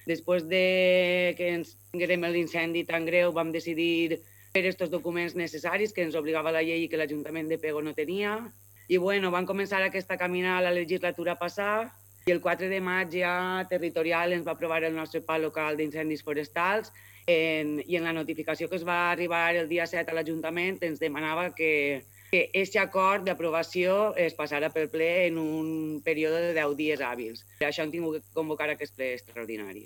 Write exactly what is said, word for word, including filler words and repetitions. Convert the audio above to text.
Després de que ens tinguérem l'incendi tan greu, vam decidir fer estos documents necessaris que ens obligava la llei i que l'Ajuntament de Pego no tenia. I bueno, van començar aquesta camina a la legislatura passada i el quatre de maig ja Territorial ens va aprovar el nostre pla local d'incendis forestals en, i en la notificació que es va arribar el dia set a l'Ajuntament ens demanava que que aquest acord d'aprovació es passarà pel ple en un període de deu dies hàbils. Per això hem tingut que convocar aquest ple extraordinari.